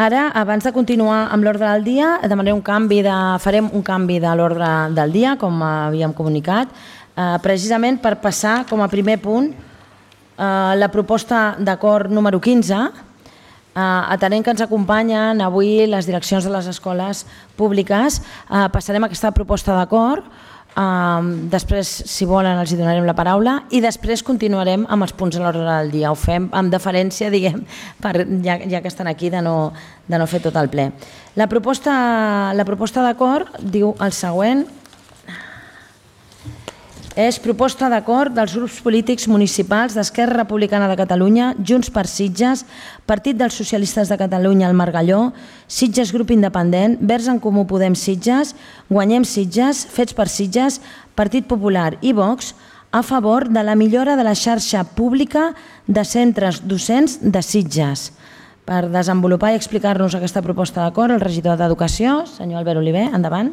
Ara, abans de continuar amb l'ordre del dia, farem un canvi de l'ordre del dia, com havíem comunicat, precisament per passar com a primer punt la proposta d'acord número 15, atenent que ens acompanyen avui les direccions de les escoles públiques. Passarem aquesta proposta d'acord, després, si volen, els donarem la paraula i després continuarem amb els punts de l'ordre del dia. Ho fem amb deferència, diguem, ja que estan aquí, de no fer tot el ple. La proposta d'acord diu el següent. És proposta d'acord dels grups polítics municipals d'Esquerra Republicana de Catalunya, Junts per Sitges, Partit dels Socialistes de Catalunya al Margalló, Sitges Grup Independent, Verds en Comú Podem Sitges, Guanyem Sitges, Fets per Sitges, Partit Popular i Vox, a favor de la millora de la xarxa pública de centres docents de Sitges. Per desenvolupar i explicar-nos aquesta proposta d'acord, el regidor d'Educació, senyor Albert Oliver, endavant.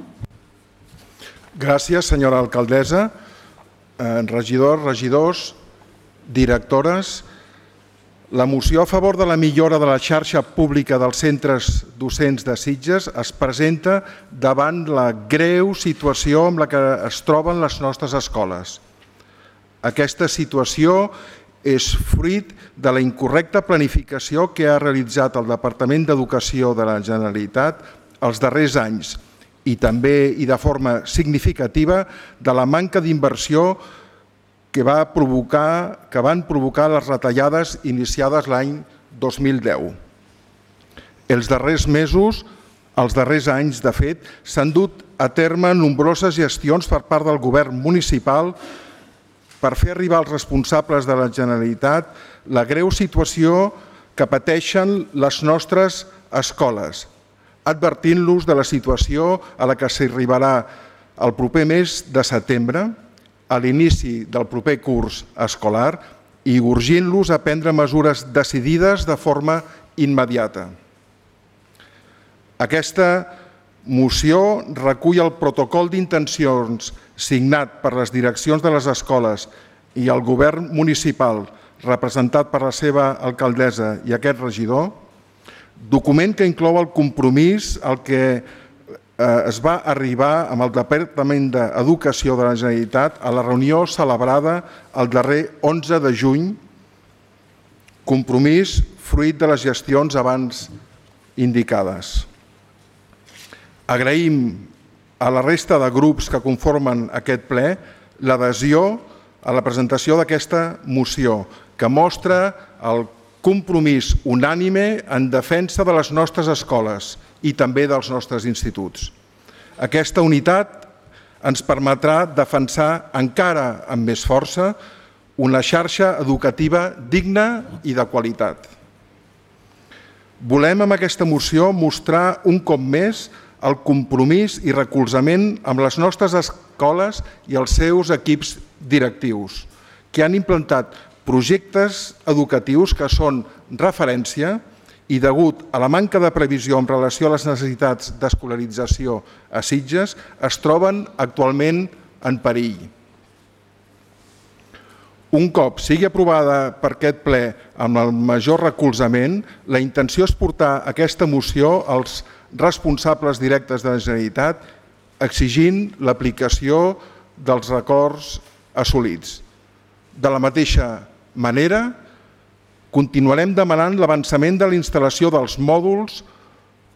Gràcies, senyora alcaldessa. Regidors, regidors, directores, la moció a favor de la millora de la xarxa pública dels centres docents de Sitges es presenta davant la greu situació amb la que es troben les nostres escoles. Aquesta situació és fruit de la incorrecta planificació que ha realitzat el Departament d'Educació de la Generalitat els darrers anys i també i de forma significativa de la manca d'inversió que van provocar les retallades iniciades l'any 2010. Els darrers mesos, els darrers anys, de fet, s'han dut a terme nombroses gestions per part del govern municipal per fer arribar als responsables de la Generalitat la greu situació que pateixen les nostres escoles, advertint-los de la situació a la que s'arribarà el proper mes de setembre, a l'inici del proper curs escolar, i urgint-los a prendre mesures decidides de forma immediata. Aquesta moció recull el protocol d'intencions signat per les direccions de les escoles i el govern municipal, representat per la seva alcaldessa i aquest regidor, document que inclou el compromís al que es va arribar amb el Departament d'Educació de la Generalitat a la reunió celebrada el darrer 11 de juny, compromís fruit de les gestions abans indicades. Agraïm a la resta de grups que conformen aquest ple l'adhesió a la presentació d'aquesta moció, que mostra el compromís unànime en defensa de les nostres escoles i també dels nostres instituts. Aquesta unitat ens permetrà defensar encara amb més força una xarxa educativa digna i de qualitat. Volem amb aquesta moció mostrar un cop més el compromís i recolzament amb les nostres escoles i els seus equips directius, que han implantat projectes educatius que són referència i, degut a la manca de previsió en relació a les necessitats d'escolarització a Sitges, es troben actualment en perill. Un cop sigui aprovada per aquest ple amb el major recolzament, la intenció és portar aquesta moció als responsables directes de la Generalitat exigint l'aplicació dels acords assolits. De la mateixa manera, continuarem demanant l'avançament de la instal·lació dels mòduls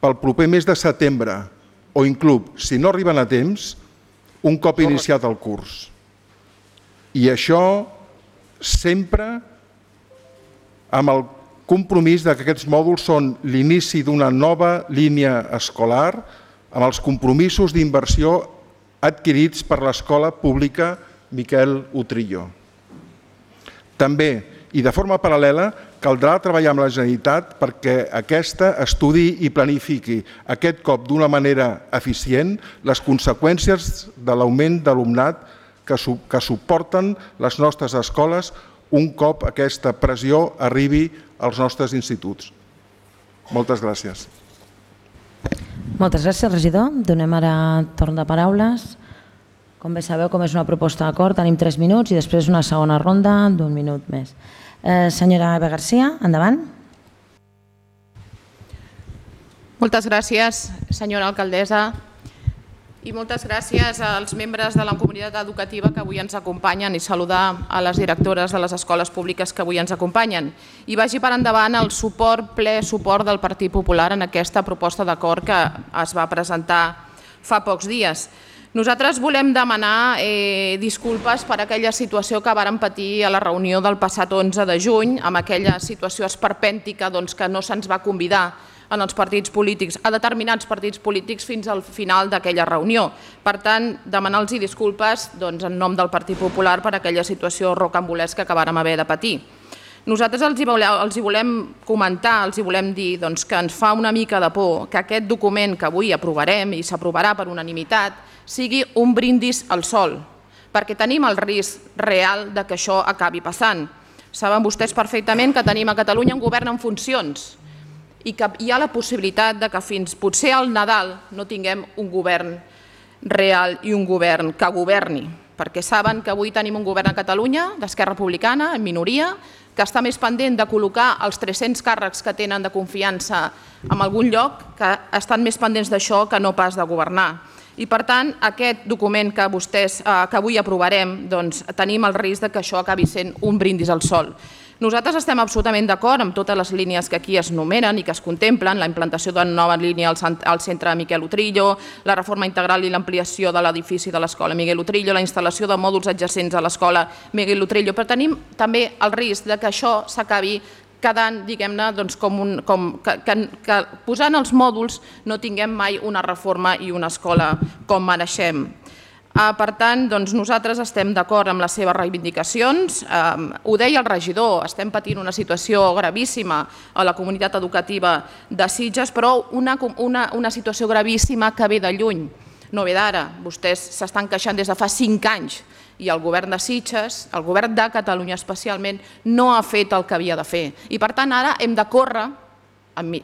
pel proper mes de setembre o inclús, si no arriben a temps, un cop iniciat el curs. I això sempre amb el compromís que aquests mòduls són l'inici d'una nova línia escolar amb els compromisos d'inversió adquirits per l'Escola Pública Miquel Utrillo. També, i de forma paral·lela, caldrà treballar amb la Generalitat perquè aquesta estudi i planifiqui aquest cop d'una manera eficient les conseqüències de l'augment d'alumnat que suporten les nostres escoles un cop aquesta pressió arribi als nostres instituts. Moltes gràcies. Moltes gràcies, regidor. Donem ara torn de paraules. Com bé sabeu, com és una proposta d'acord, tenim 3 minuts i després una segona ronda d'1 minut més. Senyora Eva García, endavant. Moltes gràcies, senyora alcaldessa, i moltes gràcies als membres de la comunitat educativa que avui ens acompanyen i saludar a les directores de les escoles públiques que avui ens acompanyen. I vagi per endavant el ple suport del Partit Popular en aquesta proposta d'acord que es va presentar fa pocs dies. Nosaltres volem demanar disculpes per aquella situació que vàrem patir a la reunió del passat 11 de juny, amb aquella situació esperpèntica que no se'ns va convidar en els partits polítics, a determinats partits polítics fins al final d'aquella reunió. Per tant, demanar-los disculpes en nom del Partit Popular per aquella situació rocambolesca que vàrem haver de patir. Nosaltres els volem comentar, els volem dir que ens fa una mica de por que aquest document que avui aprovarem i s'aprovarà per unanimitat sigui un brindis al sol, perquè tenim el risc real que això acabi passant. Saben vostès perfectament que tenim a Catalunya un govern en funcions i que hi ha la possibilitat que fins potser al Nadal no tinguem un govern real i un govern que governi, perquè saben que avui tenim un govern a Catalunya d'Esquerra Republicana, en minoria, que està més pendent de col·locar els 300 càrrecs que tenen de confiança en algun lloc, que estan més pendents d'això que no pas de governar. I per tant, aquest document que avui aprovarem, tenim el risc que això acabi sent un brindis al sol. Nosaltres estem absolutament d'acord amb totes les línies que aquí es numeren i que es contemplen, la implantació d'una nova línia al centre Miquel Utrillo, la reforma integral i l'ampliació de l'edifici de l'escola Miguel Utrillo, la instal·lació de mòduls adjacents a l'escola Miguel Utrillo, però tenim també el risc que això s'acabi quedant, diguem-ne, que posant els mòduls no tinguem mai una reforma i una escola com mereixem. Per tant, nosaltres estem d'acord amb les seves reivindicacions. Ho deia el regidor, estem patint una situació gravíssima a la comunitat educativa de Sitges, però una situació gravíssima que ve de lluny, no ve d'ara. Vostès s'estan queixant des de fa 5 anys i el govern de Sitges, el govern de Catalunya especialment, no ha fet el que havia de fer. I per tant ara hem de córrer,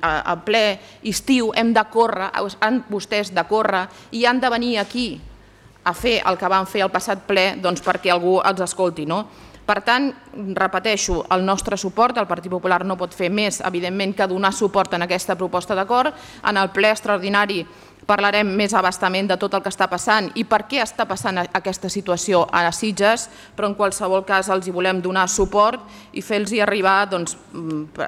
a ple estiu hem de córrer, han vostès de córrer i han de venir aquí a fer el que van fer al passat ple perquè algú els escolti. Per tant, repeteixo, el nostre suport, el Partit Popular no pot fer més, evidentment, que donar suport en aquesta proposta d'acord. En el ple extraordinari parlarem més a bastament de tot el que està passant i per què està passant aquesta situació a Sitges, però en qualsevol cas els hi volem donar suport i fer-los arribar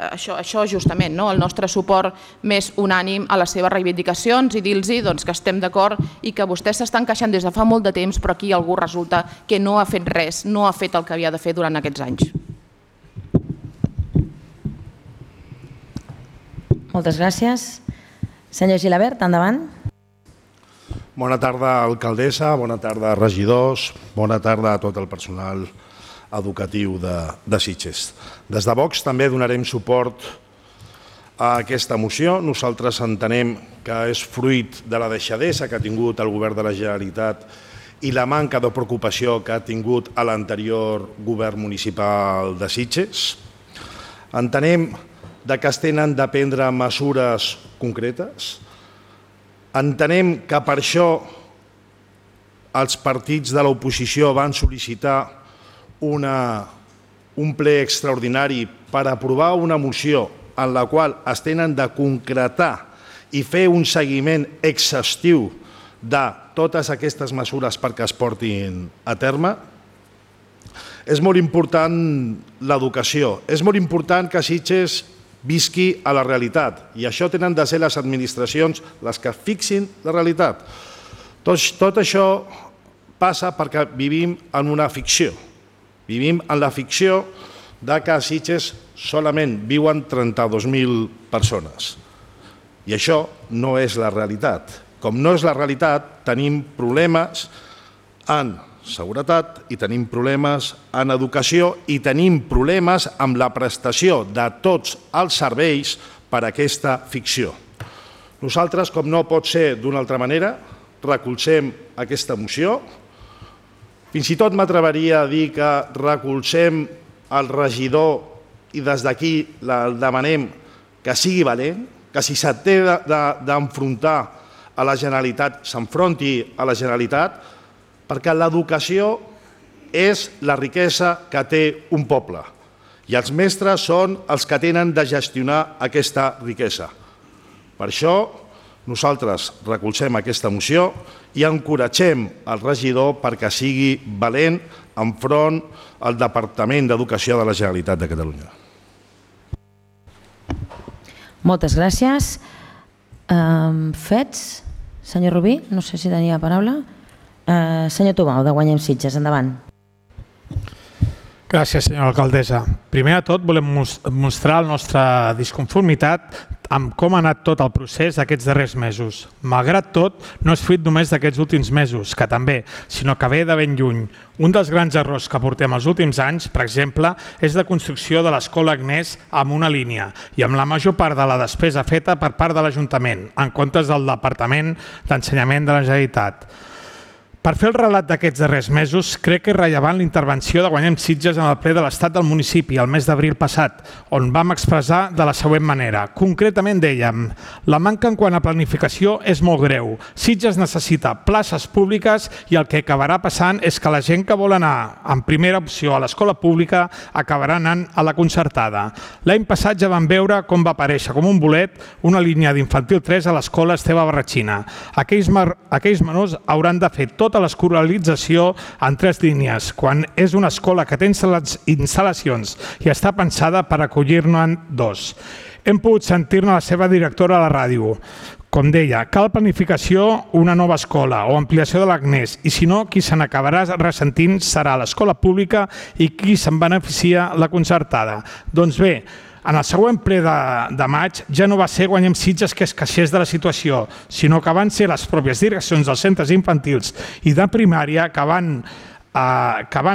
això justament, el nostre suport més unànim a les seves reivindicacions i dir-los que estem d'acord i que vostès s'estan queixant des de fa molt de temps, però aquí algú resulta que no ha fet res, no ha fet el que havia de fer durant aquests anys. Moltes gràcies. Senyor Gilabert, endavant. Bona tarda, alcaldessa, bona tarda, regidors, bona tarda a tot el personal educatiu de Sitges. Des de Vox també donarem suport a aquesta moció. Nosaltres entenem que és fruit de la deixadesa que ha tingut el govern de la Generalitat i la manca de preocupació que ha tingut l'anterior govern municipal de Sitges. Entenem que es tenen de prendre mesures concretes. Entenem que per això els partits de l'oposició van sol·licitar un ple extraordinari per aprovar una moció en la qual es tenen de concretar i fer un seguiment exhaustiu de totes aquestes mesures perquè es portin a terme. És molt important l'educació, és molt important que Sitges visqui a la realitat i això tenen de ser les administracions les que fixin la realitat. Tot això passa perquè vivim en una ficció. Vivim en la ficció que a Sitges solament viuen 32.000 persones i això no és la realitat. Com no és la realitat, tenim problemes en seguretat i tenim problemes en educació i tenim problemes amb la prestació de tots els serveis per a aquesta ficció. Nosaltres, com no pot ser d'una altra manera, recolzem aquesta moció. Fins i tot m'atreviria a dir que recolzem el regidor i des d'aquí demanem que sigui valent, que si s'ha d'enfrontar a la Generalitat, s'enfronti a la Generalitat, perquè l'educació és la riquesa que té un poble i els mestres són els que tenen de gestionar aquesta riquesa. Per això nosaltres recolzem aquesta moció i encoratgem el regidor perquè sigui valent enfront al Departament d'Educació de la Generalitat de Catalunya. Moltes gràcies. Fets? Senyor Rubí, no sé si tenia paraula. Senyor Tomau, de Guanyem Sitges, endavant. Gràcies, senyora alcaldessa. Primer de tot, volem mostrar la nostra disconformitat amb com ha anat tot el procés aquests darrers mesos. Malgrat tot, no és fruit només d'aquests últims mesos, que també, sinó que ve de ben lluny. Un dels grans errors que portem els últims anys, per exemple, és la construcció de l'Escola Agnès amb una línia i amb la major part de la despesa feta per part de l'Ajuntament, en comptes del Departament d'Ensenyament de la Generalitat. Per fer el relat d'aquests darrers mesos, crec que és rellevant la intervenció de Guanyem Sitges en el ple de l'Estat del municipi el mes d'abril passat, on vam expressar de la següent manera. Concretament dèiem, la manca en quant a planificació és molt greu. Sitges necessita places públiques i el que acabarà passant és que la gent que vol anar en primera opció a l'escola pública acabarà anant a la concertada. L'any passat ja vam veure com va aparèixer com un bolet una línia d'infantil 3 a l'escola Esteve Barratxina. Aquells menors hauran de fer tota l'escolarització en 3 línies, quan és una escola que té instal·lacions i està pensada per acollir-ne 2. Hem pogut sentir-ne la seva directora a la ràdio. Com deia, cal planificació, una nova escola o ampliació de l'Agnès, i si no, qui se n'acabarà ressentint serà l'escola pública i qui se'n beneficia la concertada. Doncs bé, en el següent ple de maig ja no va ser Guanyem Sitges que es queixés de la situació, sinó que van ser les pròpies direccions dels centres infantils i de primària que van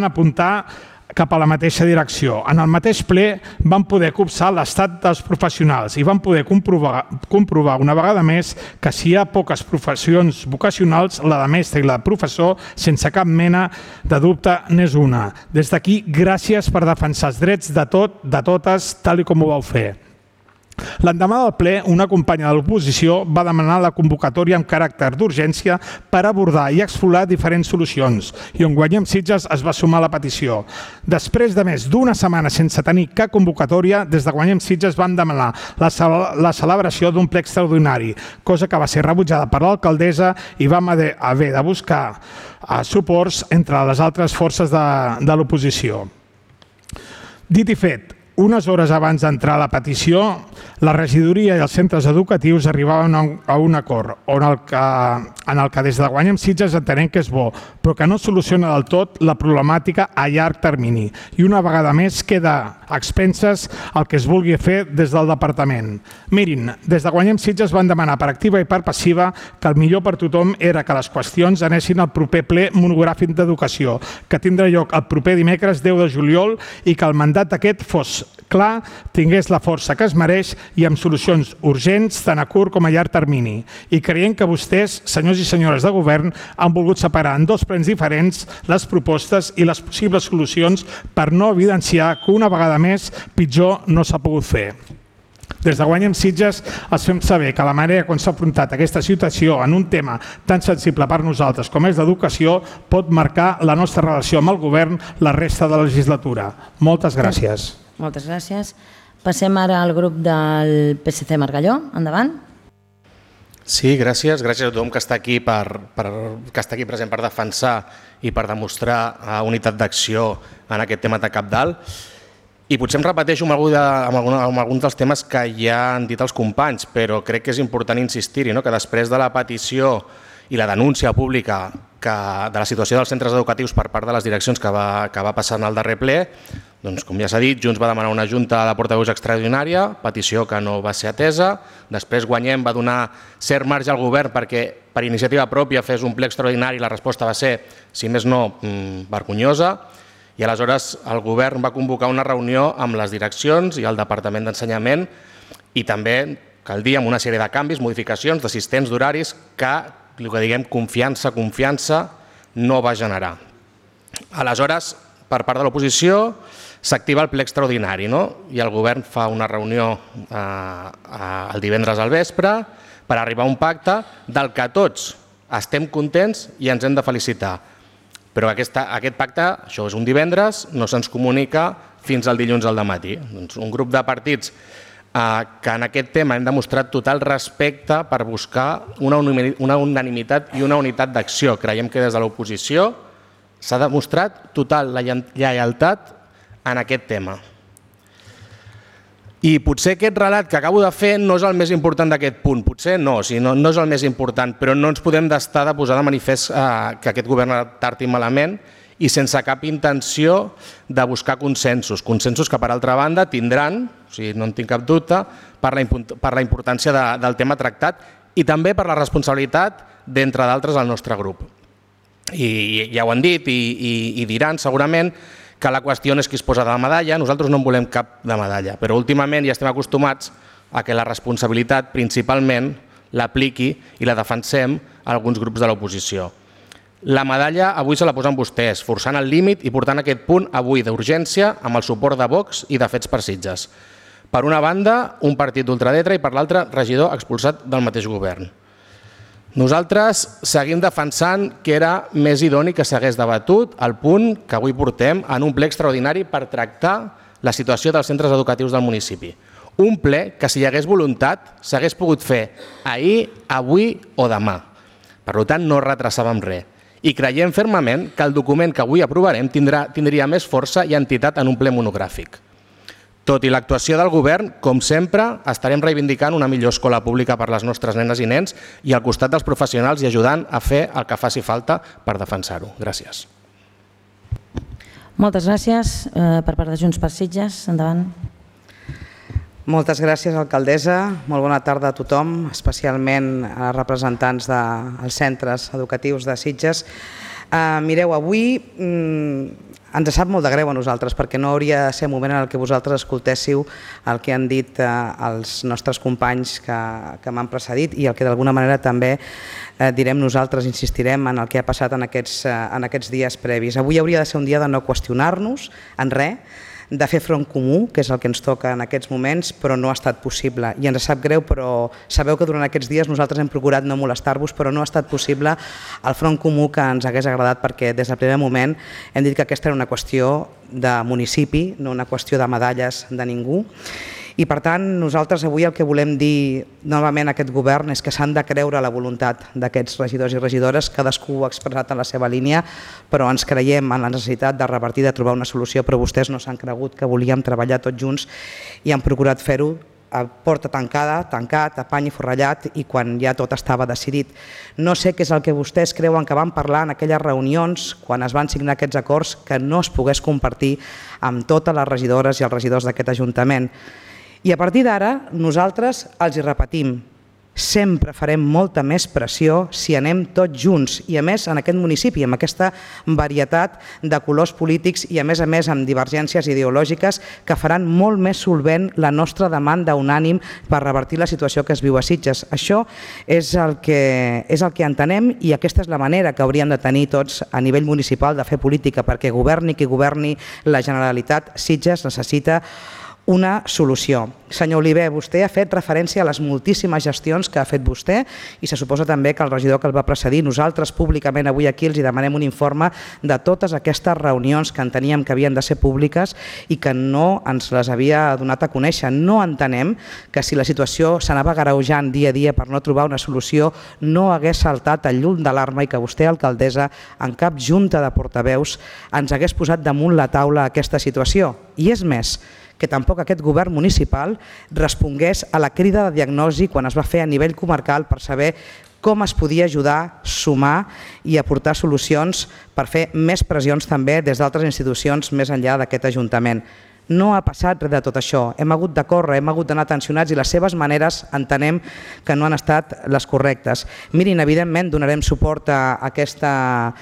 apuntar cap a la mateixa direcció. En el mateix ple van poder copsar l'estat dels professionals i van poder comprovar una vegada més que si hi ha poques professions vocacionals, la de mestre i la de professor, sense cap mena de dubte, n'és una. Des d'aquí, gràcies per defensar els drets de totes, tal com ho vau fer. L'endemà del ple, una companya de l'oposició va demanar la convocatòria amb caràcter d'urgència per abordar i explorar diferents solucions i on Guanyem Sitges es va sumar a la petició. Després de més d'una setmana sense tenir cap convocatòria, des de Guanyem Sitges vam demanar la celebració d'un ple extraordinari, cosa que va ser rebutjada per l'alcaldessa i vam haver de buscar suports entre les altres forces de l'oposició. Dit i fet, unes hores abans d'entrar a la petició, la regidoria i els centres educatius arribaven a un acord en el que des de Guanyem Sitges entenem que és bo, però que no soluciona del tot la problemàtica a llarg termini i una vegada més queda a expenses el que es vulgui fer des del departament. Mirin, des de Guanyem Sitges van demanar per activa i per passiva que el millor per tothom era que les qüestions anessin al proper ple monogràfic d'educació, que tindrà lloc el proper dimecres 10 de juliol i que el mandat aquest fos clar, tingués la força que es mereix i amb solucions urgents tant a curt com a llarg termini. I creiem que vostès, senyors i senyores de govern, han volgut separar en 2 plens diferents les propostes i les possibles solucions per no evidenciar que una vegada més pitjor no s'ha pogut fer. Des de Guanyem Sitges els fem saber que la manera com s'ha afrontat aquesta situació en un tema tan sensible per nosaltres com és l'educació pot marcar la nostra relació amb el govern la resta de la legislatura. Moltes gràcies. Moltes gràcies. Passem ara al grup del PSC Margalló. Endavant. Sí, gràcies. Gràcies a tothom que està aquí present per defensar i per demostrar unitat d'acció en aquest tema de cabdal. I potser em repeteixo amb alguns dels temes que ja han dit els companys, però crec que és important insistir-hi, que després de la petició i la denúncia pública de la situació dels centres educatius per part de les direccions que va passar en el darrer ple, doncs, com ja s'ha dit, Junts va demanar una junta de portaveus extraordinària, petició que no va ser atesa. Després Guanyem va donar cert marge al govern perquè per iniciativa pròpia fes un ple extraordinari i la resposta va ser, si més no, vergonyosa. I aleshores el govern va convocar una reunió amb les direccions i el Departament d'Ensenyament i també, cal dir, amb una sèrie de canvis, modificacions, d'assistents, d'horaris, que, el que diguem, confiança no va generar. Aleshores, per part de l'oposició, s'activa el ple extraordinari i el govern fa una reunió el divendres al vespre per arribar a un pacte del que tots estem contents i ens hem de felicitar. Però aquest pacte, això és un divendres, no se'ns comunica fins al dilluns al dematí. Un grup de partits que en aquest tema hem demostrat total respecte per buscar una unanimitat i una unitat d'acció. Creiem que des de l'oposició s'ha demostrat total lleialtat en aquest tema. I potser aquest relat que acabo de fer no és el més important d'aquest punt, potser no és el més important, però no ens podem estar de posar de manifest que aquest govern tard i malament i sense cap intenció de buscar consensos que per altra banda tindran, o sigui, no en tinc cap dubte, per la importància del tema tractat i també per la responsabilitat d'entre d'altres al nostre grup. I ja ho han dit i diran segurament que la qüestió no és qui es posa de la medalla, nosaltres no en volem cap de medalla, però últimament ja estem acostumats a que la responsabilitat principalment l'apliqui i la defensem alguns grups de l'oposició. La medalla avui se la posen vostès, forçant el límit i portant aquest punt avui d'urgència amb el suport de Vox i de Fets per Sitges. Per una banda, un partit d'ultradreta i per l'altra, regidor expulsat del mateix govern. Nosaltres seguim defensant que era més idoni que s'hagués debatut el punt que avui portem en un ple extraordinari per tractar la situació dels centres educatius del municipi. Un ple que, si hi hagués voluntat, s'hagués pogut fer ahir, avui o demà. Per tant, no retrasàvem res. I creiem fermament que el document que avui aprovarem tindria més força i entitat en un ple monogràfic. Tot i l'actuació del govern, com sempre, estarem reivindicant una millor escola pública per les nostres nenes i nens i al costat dels professionals i ajudant a fer el que faci falta per defensar-ho. Gràcies. Moltes gràcies. Per part de Junts per Sitges, endavant. Moltes gràcies, alcaldessa. Molt bona tarda a tothom, especialment a representants dels centres educatius de Sitges. Mireu, avui ens sap molt de greu a nosaltres perquè no hauria de ser el moment en què vosaltres escoltéssiu el que han dit els nostres companys que m'han precedit i el que d'alguna manera també direm nosaltres, insistirem en el que ha passat en aquests dies previs. Avui hauria de ser un dia de no qüestionar-nos en res, de fer front comú, que és el que ens toca en aquests moments, però no ha estat possible. I ens sap greu, però sabeu que durant aquests dies nosaltres hem procurat no molestar-vos, però no ha estat possible el front comú que ens hagués agradat perquè des del primer moment hem dit que aquesta era una qüestió de municipi, no una qüestió de medalles de ningú. I per tant, nosaltres avui el que volem dir novament a aquest govern és que s'han de creure la voluntat d'aquests regidors i regidores, cadascú ho ha expressat en la seva línia, però ens creiem en la necessitat de revertir, de trobar una solució, però vostès no s'han cregut que volíem treballar tots junts i han procurat fer-ho a porta tancada, tancat, a pany i forrellat i quan ja tot estava decidit. No sé què és el que vostès creuen que van parlar en aquelles reunions quan es van signar aquests acords que no es pogués compartir amb totes les regidores i els regidors d'aquest Ajuntament. I a partir d'ara nosaltres els hi repetim, sempre farem molta més pressió si anem tots junts i a més en aquest municipi, amb aquesta varietat de colors polítics i a més amb divergències ideològiques que faran molt més solvent la nostra demanda unànim per revertir la situació que es viu a Sitges. Això és el que entenem i aquesta és la manera que hauríem de tenir tots a nivell municipal de fer política perquè governi qui governi la Generalitat, Sitges necessita una solució. Senyor Oliver, vostè ha fet referència a les moltíssimes gestions que ha fet vostè i se suposa també que el regidor que el va precedir, nosaltres públicament avui aquí els demanem un informe de totes aquestes reunions que enteníem que havien de ser públiques i que no ens les havia donat a conèixer. No entenem que si la situació s'anava agreujant dia a dia per no trobar una solució no hagués saltat el llum d'alarma i que vostè, alcaldessa, en cap junta de portaveus ens hagués posat damunt la taula aquesta situació. I és més, que tampoc aquest govern municipal respongués a la crida de diagnosi quan es va fer a nivell comarcal per saber com es podia ajudar, sumar i aportar solucions per fer més pressions també des d'altres institucions més enllà d'aquest Ajuntament. No ha passat res de tot això, hem hagut de córrer, hem hagut d'anar tensionats i les seves maneres entenem que no han estat les correctes. Mirin, evidentment donarem suport a aquesta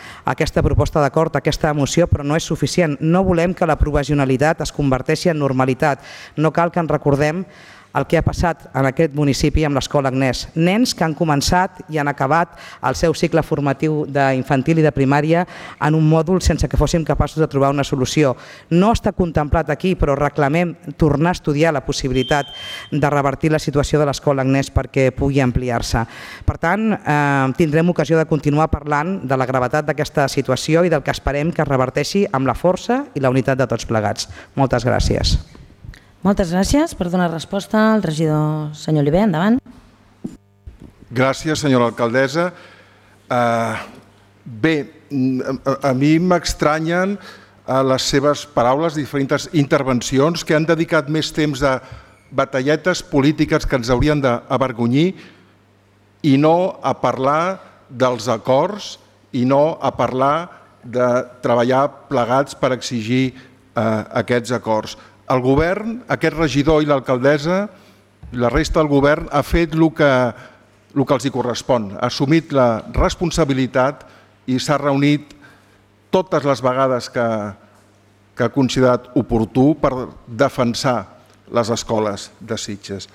proposta d'acord, a aquesta moció, però no és suficient. No volem que la provisionalitat es converteixi en normalitat. No cal que ens recordem el que ha passat en aquest municipi amb l'Escola Agnès. Nens que han començat i han acabat el seu cicle formatiu d'infantil i de primària en un mòdul sense que fóssim capaços de trobar una solució. No està contemplat aquí, però reclamem tornar a estudiar la possibilitat de revertir la situació de l'Escola Agnès perquè pugui ampliar-se. Per tant, tindrem ocasió de continuar parlant de la gravetat d'aquesta situació i del que esperem que es reverteixi amb la força i la unitat de tots plegats. Moltes gràcies. Moltes gràcies. Per donar resposta al regidor senyor Oliver, endavant. Gràcies, senyora alcaldessa. Bé, a mi m'estranyen les seves paraules, diferents intervencions que han dedicat més temps a batalletes polítiques que ens haurien d'avergonyir i no a parlar dels acords i no a parlar de treballar plegats per exigir aquests acords. El govern, aquest regidor i l'alcaldessa, la resta del govern ha fet el que els correspon, ha assumit la responsabilitat i s'ha reunit totes les vegades que ha considerat oportú per defensar les escoles de Sitges.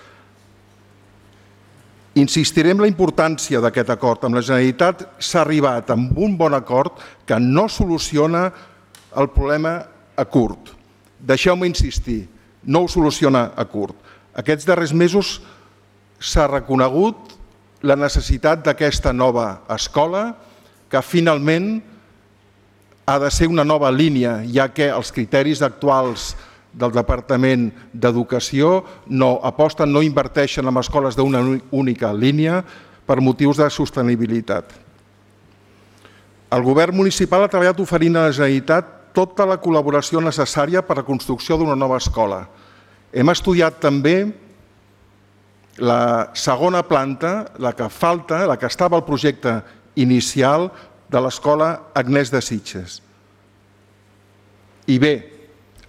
Insistiré en la importància d'aquest acord. Amb la Generalitat s'ha arribat amb un bon acord que no soluciona el problema a curt. Deixeu-me insistir, no ho soluciona a curt. Aquests darrers mesos s'ha reconegut la necessitat d'aquesta nova escola que finalment ha de ser una nova línia, ja que els criteris actuals del Departament d'Educació no aposten, no inverteixen en escoles d'una única línia per motius de sostenibilitat. El govern municipal ha treballat oferint a la Generalitat tota la col·laboració necessària per a la construcció d'una nova escola. Hem estudiat també la segona planta, la que falta, la que estava al projecte inicial de l'escola Agnès de Sitges. I bé,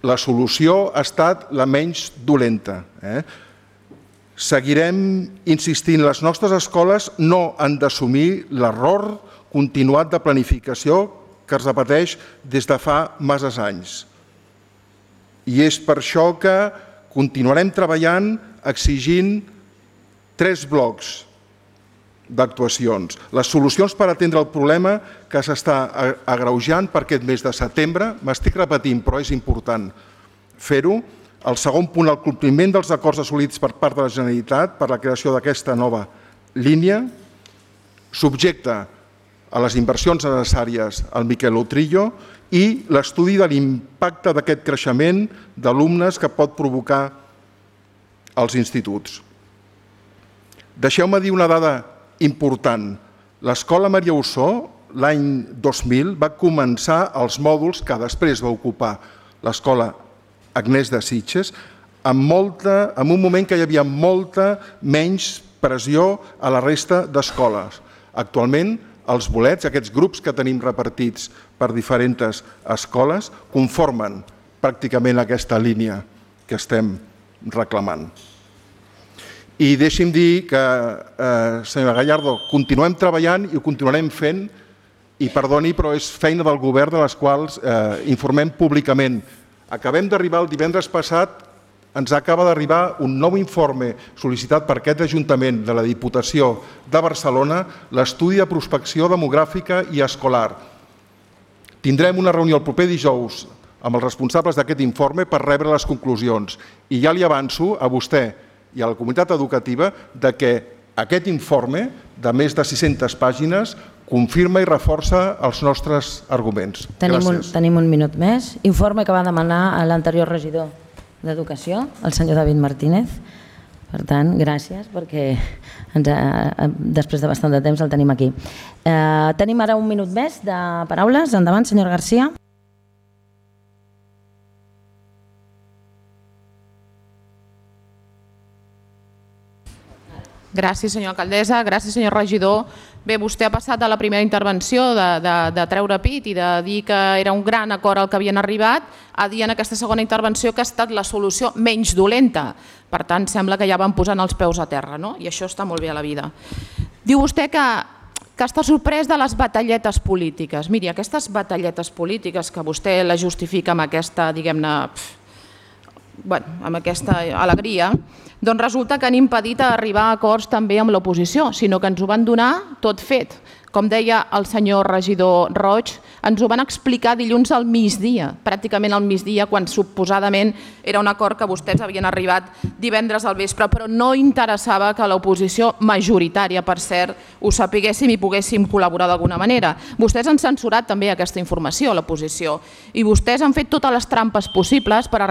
la solució ha estat la menys dolenta. Seguirem insistint, les nostres escoles no han d'assumir l'error continuat de planificació que es repeteix des de fa masses anys. I és per això que continuarem treballant exigint 3 blocs d'actuacions. Les solucions per atendre el problema que s'està agreujant per aquest mes de setembre, m'estic repetint, però és important fer-ho. El segon punt, el compliment dels acords assolits per part de la Generalitat per la creació d'aquesta nova línia, subjecte a les inversions necessàries al Miquel Utrillo i l'estudi de l'impacte d'aquest creixement d'alumnes que pot provocar als instituts. Deixeu-me dir una dada important. L'escola Maria Ossó, l'any 2000, va començar els mòduls que després va ocupar l'escola Agnès de Sitges en un moment que hi havia molta menys pressió a la resta d'escoles. Actualment, els bolets, aquests grups que tenim repartits per diferents escoles, conformen pràcticament aquesta línia que estem reclamant. I deixi'm dir que, senyora Gallardo, continuem treballant i ho continuarem fent, i perdoni, però és feina del govern de les quals informem públicament. Acabem d'arribar el divendres passat, ens acaba d'arribar un nou informe sol·licitat per aquest Ajuntament de la Diputació de Barcelona, l'estudi de prospecció demogràfica i escolar. Tindrem una reunió el proper dijous amb els responsables d'aquest informe per rebre les conclusions. I ja li avanço a vostè i a la comunitat educativa de que aquest informe de més de 600 pàgines confirma i reforça els nostres arguments. Gràcies. Tenim un minut més. Informe que va demanar l'anterior regidor d'Educació, el senyor David Martínez. Per tant, gràcies, perquè després de bastant de temps el tenim aquí. Tenim ara un minut més de paraules. Endavant, senyor Garcia. Gràcies, senyora alcaldessa. Gràcies, senyor regidor. Bé, vostè ha passat a la primera intervenció de treure pit i de dir que era un gran acord al que havien arribat a dir en aquesta segona intervenció que ha estat la solució menys dolenta. Per tant, sembla que ja van posant els peus a terra, no? I això està molt bé a la vida. Diu vostè que està sorprès de les batalletes polítiques. Miri, aquestes batalletes polítiques que vostè la justifica amb aquesta, diguem-ne, amb aquesta alegria, doncs resulta que han impedit arribar a acords també amb l'oposició, sinó que ens ho van donar tot fet. Com deia el senyor regidor Roig, ens ho van explicar dilluns al migdia, pràcticament al migdia, quan suposadament era un acord que vostès havien arribat divendres al vespre, però no interessava que l'oposició majoritària, per cert, ho sapiguéssim i poguéssim col·laborar d'alguna manera. Vostès han censurat també aquesta informació, l'oposició, i vostès han fet totes les trampes possibles per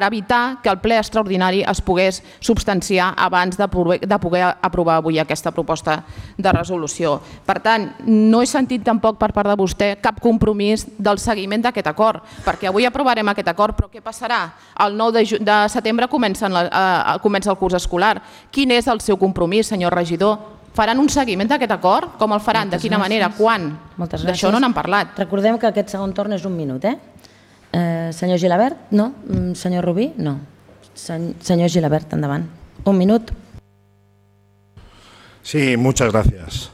evitar que el ple extraordinari es pogués substanciar abans de poder aprovar avui aquesta proposta de resolució. Per tant, no he sentit tampoc per part de vostè cap compromís del seguiment d'aquest acord, perquè avui aprovarem aquest acord, però què passarà? El 9 de setembre comença el curs escolar. Quin és el seu compromís, senyor regidor? Faran un seguiment d'aquest acord? Com el faran? De quina manera? Quan? D'això no n'han parlat. Recordem que aquest segon torn és un minut, Senyor Gilabert? No? Senyor Rubí? No. Senyor Gilabert, endavant. Un minut. Sí, muchas gracias.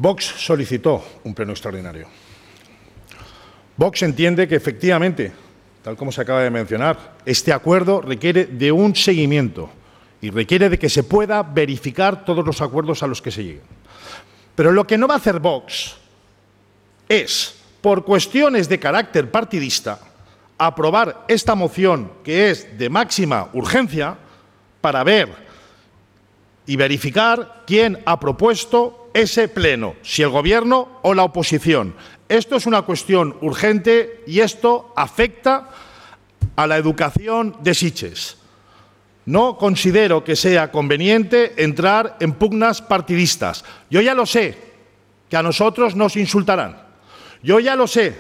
Vox solicitó un pleno extraordinario. Vox entiende que efectivamente, tal como se acaba de mencionar, este acuerdo requiere de un seguimiento y requiere de que se pueda verificar todos los acuerdos a los que se lleguen. Pero lo que no va a hacer Vox es, por cuestiones de carácter partidista, aprobar esta moción que es de máxima urgencia para ver y verificar quién ha propuesto ese pleno, si el Gobierno o la oposición. Esto es una cuestión urgente y esto afecta a la educación de Sitges. No considero que sea conveniente entrar en pugnas partidistas. Yo ya lo sé, que a nosotros nos insultarán. Yo ya lo sé,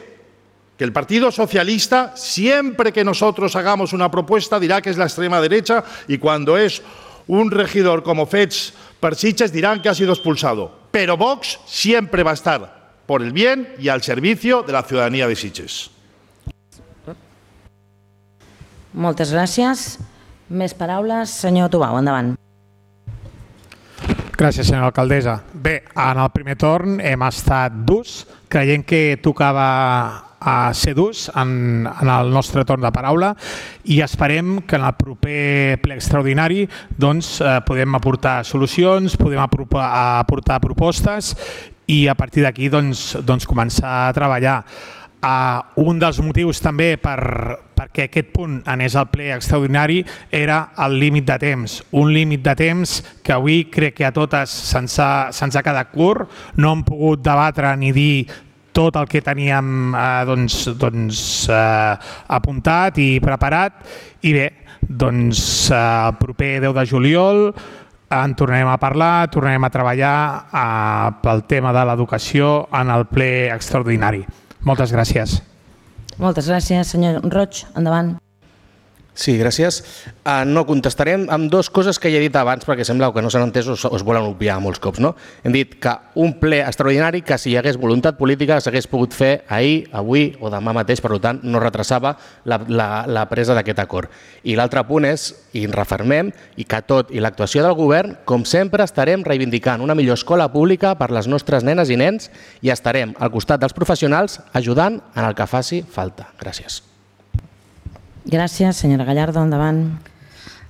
que el Partido Socialista, siempre que nosotros hagamos una propuesta, dirá que es la extrema derecha y cuando es un regidor como Fets per Sitges dirán que ha sido expulsado. Pero Vox siempre va a estar por el bien y al servicio de la ciudadanía de Sitges. Moltes gràcies. Més paraules. Senyor Tubau, endavant. Gràcies, senyora alcaldessa. Bé, en el primer torn hem estat durs, creient que tocava a ser durs en el nostre torn de paraula i esperem que en el proper ple extraordinari podem aportar solucions, podem aportar propostes i a partir d'aquí començar a treballar. Un dels motius també perquè aquest punt anés al ple extraordinari era el límit de temps. Un límit de temps que avui crec que a totes se'ns ha quedat curt, no hem pogut debatre ni dir tot el que teníem apuntat i preparat i bé, el proper 10 de juliol en tornarem a parlar, tornarem a treballar pel tema de l'educació en el ple extraordinari. Moltes gràcies. Moltes gràcies. Senyor Roig, endavant. Sí, gràcies. No contestarem amb dues coses que ja he dit abans perquè sembla que no s'han entès o es volen obviar molts cops. Hem dit que un ple extraordinari que si hi hagués voluntat política s'hagués pogut fer ahir, avui o demà mateix, per tant no retrasava la presa d'aquest acord. I l'altre punt és, i ens refermem, que tot i l'actuació del govern, com sempre estarem reivindicant una millor escola pública per les nostres nenes i nens i estarem al costat dels professionals ajudant en el que faci falta. Gràcies. Gràcies. Senyora Gallardo, endavant.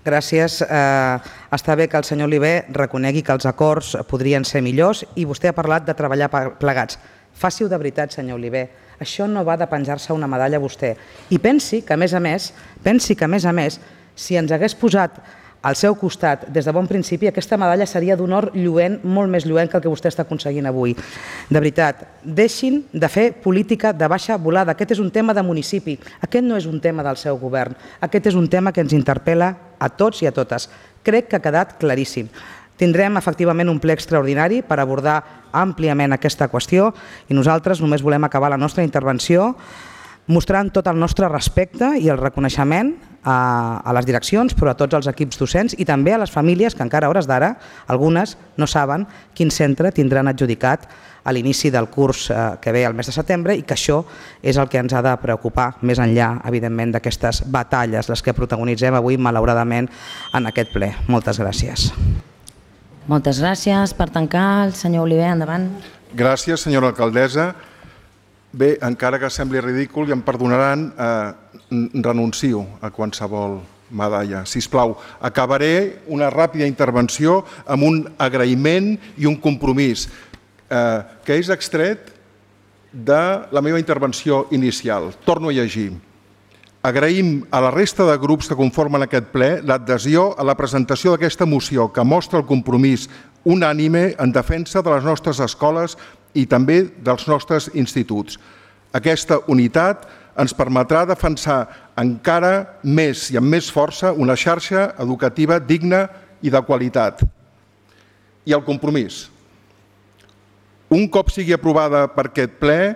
Gràcies. Està bé que el senyor Oliver reconegui que els acords podrien ser millors i vostè ha parlat de treballar plegats. Faci-ho de veritat, senyor Oliver. Això no va de penjar-se una medalla a vostè. I pensi que, a més a més, si ens hagués posat al seu costat des de bon principi, aquesta medalla seria d'un or lluent, molt més lluent que el que vostè està aconseguint avui. De veritat, deixin de fer política de baixa volada. Aquest és un tema de municipi. Aquest no és un tema del seu govern. Aquest és un tema que ens interpel·la a tots i a totes. Crec que ha quedat claríssim. Tindrem efectivament un ple extraordinari per abordar àmpliament aquesta qüestió i nosaltres només volem acabar la nostra intervenció mostrant tot el nostre respecte i el reconeixement a les direccions, però a tots els equips docents i també a les famílies que encara a hores d'ara, algunes no saben quin centre tindran adjudicat a l'inici del curs que ve al mes de setembre i que això és el que ens ha de preocupar més enllà, evidentment, d'aquestes batalles, les que protagonitzem avui, malauradament, en aquest ple. Moltes gràcies. Moltes gràcies. Per tancar, el senyor Oliver, endavant. Gràcies, senyora alcaldessa. Bé, encara que sembli ridícul, i em perdonaran, renuncio a qualsevol medalla. Sisplau, acabaré una ràpida intervenció amb un agraïment i un compromís. que és extret de la meva intervenció inicial. Torno a llegir. Agraïm a la resta de grups que conformen aquest ple l'adhesió a la presentació d'aquesta moció que mostra el compromís unànime en defensa de les nostres escoles i també dels nostres instituts. Aquesta unitat ens permetrà defensar encara més i amb més força una xarxa educativa digna i de qualitat. I el compromís. Un cop sigui aprovada per aquest ple,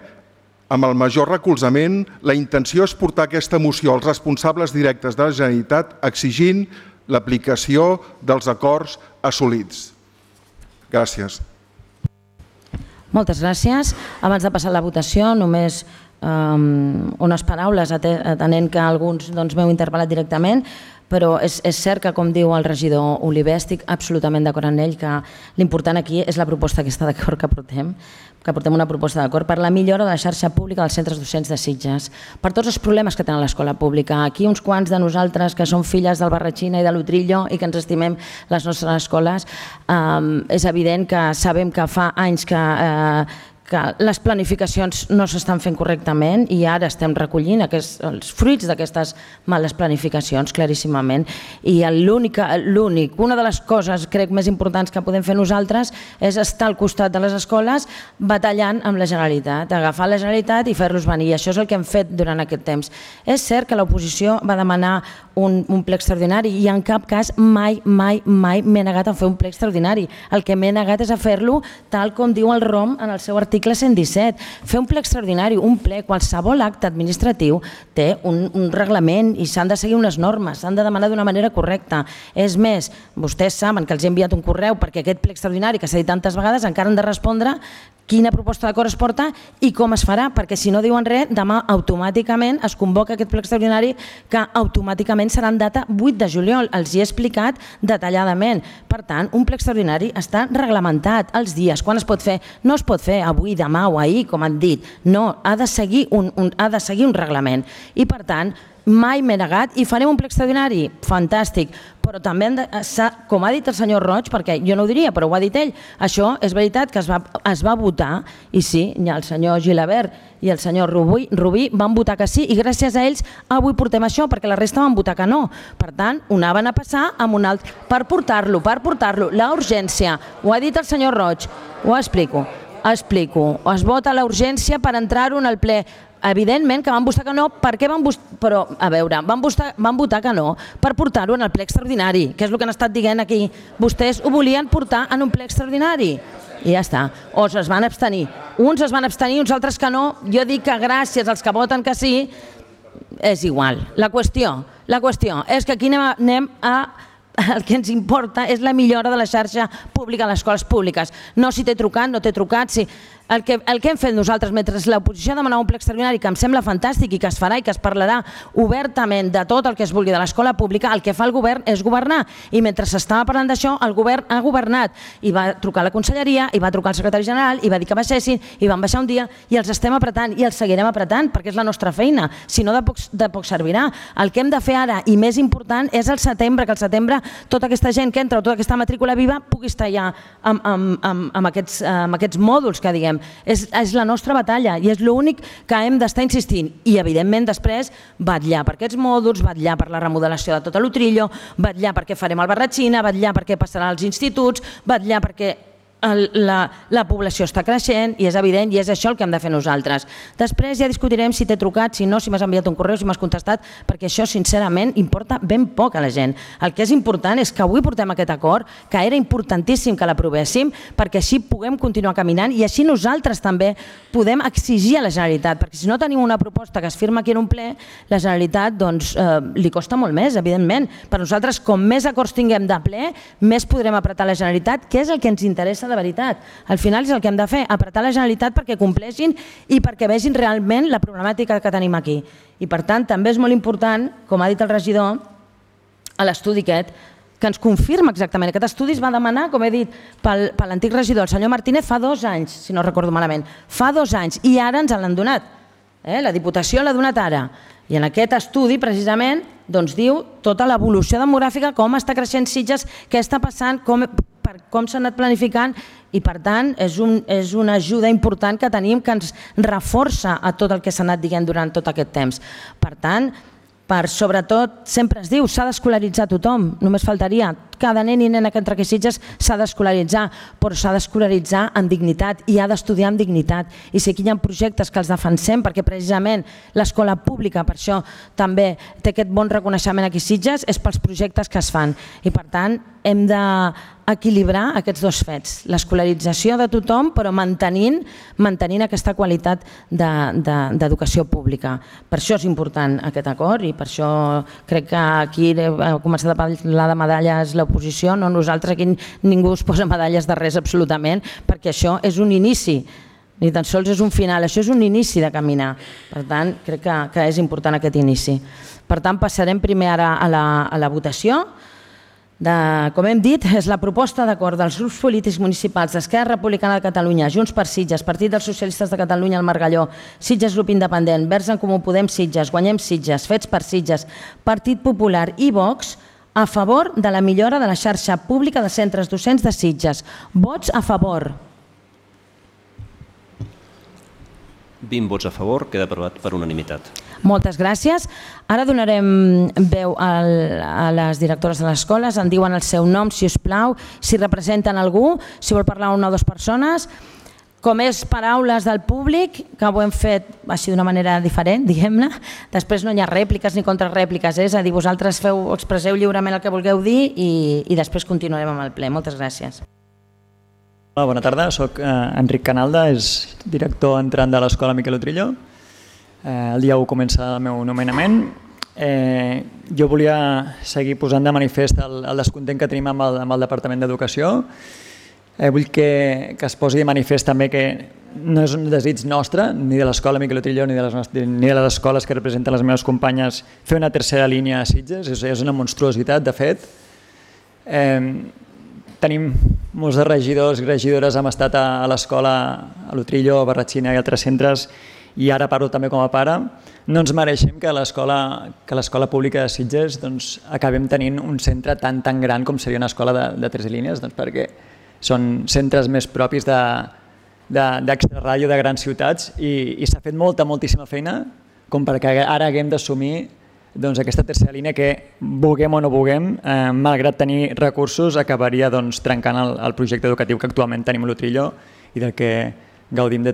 amb el major recolzament, la intenció és portar aquesta moció als responsables directes de la Generalitat exigint l'aplicació dels acords assolits. Gràcies. Moltes gràcies. Abans de passar a la votació, només unes paraules, atenent que alguns m'heu interpel·lat directament, però és cert que, com diu el regidor Oliver, estic absolutament d'acord amb ell, que l'important aquí és la proposta aquesta d'acord que portem una proposta d'acord per la millora de la xarxa pública dels centres docents de Sitges, per tots els problemes que tenen l'escola pública. Aquí uns quants de nosaltres que som filles del Barratxina i de l'Utrillo i que ens estimem les nostres escoles, és evident que sabem que fa anys que les planificacions no s'estan fent correctament i ara estem recollint els fruits d'aquestes males planificacions, claríssimament. I una de les coses, crec, més importants que podem fer nosaltres és estar al costat de les escoles batallant amb la Generalitat, agafar la Generalitat i fer-los venir. I això és el que hem fet durant aquest temps. És cert que l'oposició va demanar un ple extraordinari i en cap cas mai m'he negat a fer un ple extraordinari. El que m'he negat és a fer-lo tal com diu el ROM en el seu article 117. Fer un ple extraordinari, un ple, qualsevol acte administratiu té un reglament i s'han de seguir unes normes, s'han de demanar d'una manera correcta. És més, vostès saben que els he enviat un correu perquè aquest ple extraordinari que s'ha dit tantes vegades encara han de respondre quina proposta d'acord es porta i com es farà, perquè si no diuen res, demà automàticament es convoca aquest ple extraordinari que automàticament serà en data 8 de juliol. Els hi he explicat detalladament. Per tant, un ple extraordinari està reglamentat, els dies, quan es pot fer. No es pot fer avui, demà o ahir, com han dit. No, ha de seguir un reglament. I per tant, mai m'he negat i farem un ple extraordinari, fantàstic, però també, com ha dit el senyor Roig, perquè jo no ho diria, però ho ha dit ell, això és veritat que es va votar, i sí, el senyor Gilabert i el senyor Rubí van votar que sí, i gràcies a ells avui portem això, perquè la resta van votar que no. Per tant, ho anaven a passar amb un altre, per portar-lo, la urgència, ho ha dit el senyor Roig, ho explico, es vota la urgència per entrar-ho en el ple. Evidentment que van votar que no, per què van votar? Però, a veure, van votar que no per portar-ho en el ple extraordinari, que és el que han estat dient aquí. Vostès ho volien portar en un ple extraordinari. I ja està. O es van abstenir. Uns es van abstenir, uns altres que no. Jo dic que gràcies als que voten que sí, és igual. La qüestió és que aquí anem a... El que ens importa és la millora de la xarxa pública a les escoles públiques. No si t'he trucat, no t'he trucat, si... El que hem fet nosaltres mentre l'oposició demanava un ple extraordinari que em sembla fantàstic i que es farà i que es parlarà obertament de tot el que es vulgui de l'escola pública, el que fa el govern és governar. I mentre s'estava parlant d'això, el govern ha governat i va trucar a la conselleria, i va trucar al secretari general, i va dir que baixessin, i van baixar un dia, i els estem apretant i els seguirem apretant perquè és la nostra feina, si no de poc servirà. El que hem de fer ara, i més important, és el setembre, que al setembre tota aquesta gent que entra o tota aquesta matrícula viva pugui estar ja amb aquests mòduls que diguem. És la nostra batalla i és l'únic que hem d'estar insistint. I evidentment després vetllar per aquests mòduls, vetllar per la remodelació de tot l'Utrillo, vetllar perquè farem el Barratxina, vetllar perquè passarà als instituts, vetllar perquè la població està creixent i és evident i és això el que hem de fer nosaltres. Després ja discutirem si t'he trucat, si no, si m'has enviat un correu, si m'has contestat, perquè això sincerament importa ben poc a la gent. El que és important és que avui portem aquest acord, que era importantíssim que l'aprovéssim, perquè així puguem continuar caminant i així nosaltres també podem exigir a la Generalitat, perquè si no tenim una proposta que es firma aquí en un ple, la Generalitat li costa molt més, evidentment. Per nosaltres, com més acords tinguem de ple, més podrem apretar la Generalitat, que és el que ens interessa de veritat. Al final és el que hem de fer, apretar la Generalitat perquè compleixin i perquè vegin realment la problemàtica que tenim aquí. I per tant també és molt important, com ha dit el regidor, a l'estudi aquest, que ens confirma exactament. Aquest estudi es va demanar, com he dit, per l'antic regidor, el senyor Martínez, fa 2 anys, si no recordo malament. Fa 2 anys i ara ens l'han donat. La Diputació l'ha donat ara. I en aquest estudi, precisament, diu tota l'evolució demogràfica, com està creixent Sitges, què està passant, com s'ha anat planificant I per tant és una ajuda important que tenim que ens reforça a tot el que s'ha anat dient durant tot aquest temps. Per tant, sobretot, sempre es diu, s'ha d'escolaritzar tothom, només faltaria. Cada nen i nena que entra aquí a Sitges s'ha d'escolaritzar, però s'ha d'escolaritzar amb dignitat i ha d'estudiar amb dignitat. I si aquí hi ha projectes que els defensem, perquè precisament l'escola pública, per això també té aquest bon reconeixement aquí a Sitges, és pels projectes que es fan. I per tant, hem d'equilibrar aquests dos fets, l'escolarització de tothom, però mantenint aquesta qualitat d'educació pública. Per això és important aquest acord i per això crec que aquí ha començat a parlar de medalles l'oposició, no nosaltres, aquí ningú es posa medalles de res absolutament, perquè això és un inici, ni tan sols és un final, això és un inici de caminar. Per tant, crec que és important aquest inici. Per tant, passarem primer ara a la votació. Com hem dit, és la proposta d'acord dels grups polítics municipals d'Esquerra Republicana de Catalunya, Junts per Sitges, Partit dels Socialistes de Catalunya, el Margalló, Sitges Grup Independent, Verds en Comú Podem Sitges, Guanyem Sitges, Fets per Sitges, Partit Popular i Vox a favor de la millora de la xarxa pública de centres docents de Sitges. Vots a favor. 20 vots a favor, queda aprovat per unanimitat. Moltes gràcies. Ara donarem veu a les directores de les escoles, en diuen el seu nom, si us plau, si representen algú, si vol parlar una o dues persones. Com és paraules del públic, que ho hem fet així d'una manera diferent, diguem-ne, després no hi ha rèpliques ni contrarèpliques, és a dir, vosaltres expresseu lliurement el que vulgueu dir i després continuarem amb el ple. Moltes gràcies. Hola, bona tarda, soc Enric Canalda, és director entrant de l'Escola Miquel Utrillo. El dia 1 comença el meu nomenament. Jo volia seguir posant de manifest el descontent que tenim amb el Departament d'Educació. Vull que es posi de manifest també que no és un desig nostre, ni de l'Escola Miquel Utrillo ni de les escoles que representen les meves companyes, fer una tercera línia a Sitges. És una monstruositat, de fet. Tenim molts de regidors i regidores, hem estat a l'escola, a l'Utrillo, a Barratxina i altres centres, i ara parlo també com a pare. No ens mereixem que l'escola pública de Sitges acabem tenint un centre tan gran com seria una escola de 3 línies, perquè són centres més propis d'extrarràdio de grans ciutats i s'ha fet moltíssima feina com perquè ara haguem d'assumir aquesta tercera línia que, vulguem o no vulguem, malgrat tenir recursos, acabaria trencant el projecte educatiu que actualment tenim a l'Utrillo i del que gaudim de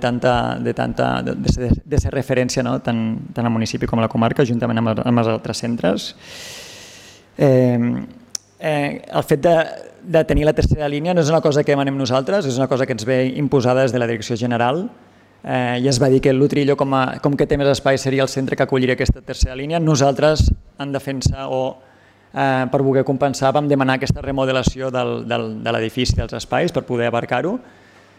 ser referència tant al municipi com a la comarca, juntament amb els altres centres. El fet de tenir la tercera línia no és una cosa que demanem nosaltres, és una cosa que ens ve imposada des de la Direcció General. Ja es va dir que l'Utrillo, com que té més espai, seria el centre que acolliria aquesta tercera línia. Nosaltres, en defensa o per voler compensar, vam demanar aquesta remodelació de l'edifici dels espais per poder abarcar-ho.